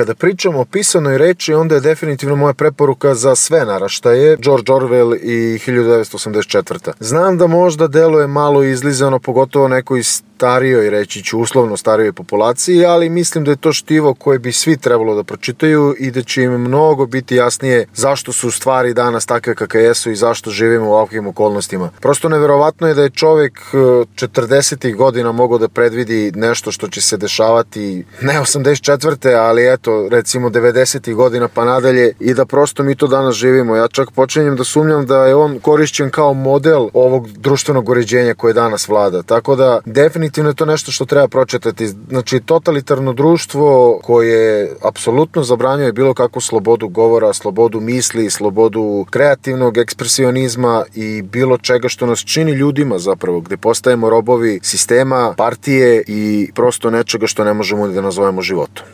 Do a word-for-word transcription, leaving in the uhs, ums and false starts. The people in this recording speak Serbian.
kada pričamo o pisanoj reči, onda je definitivno moja preporuka za sve naraštaje George Orwell i hiljadu devetsto osamdeset četvrta. Znam da možda deluje malo izlizano, pogotovo nekoj starijoj, reći ću uslovno starijoj populaciji, ali mislim da je to štivo koje bi svi trebalo da pročitaju i da će im mnogo biti jasnije zašto su stvari danas takve kakve jesu i zašto živimo u ovakvim okolnostima. Prosto neverovatno je da je čovek četrdesetih godina mogao da predvidi nešto što će se dešavati ne osamdeset četvrte ali eto recimo devedesetih godina pa nadalje i da prosto mi to danas živimo. Ja čak počinjem da sumnjam da je on korišćen kao model ovog društvenog uređenja koje danas vlada. Tako da definitivno je to nešto što treba pročitati. Znači totalitarno društvo koje apsolutno zabranjuje bilo kakvu slobodu govora, slobodu misli, slobodu kreativnog ekspresionizma i bilo čega što nas čini ljudima zapravo, gde postajemo robovi sistema, partije i prosto nečega što ne možemo da nazovemo životom.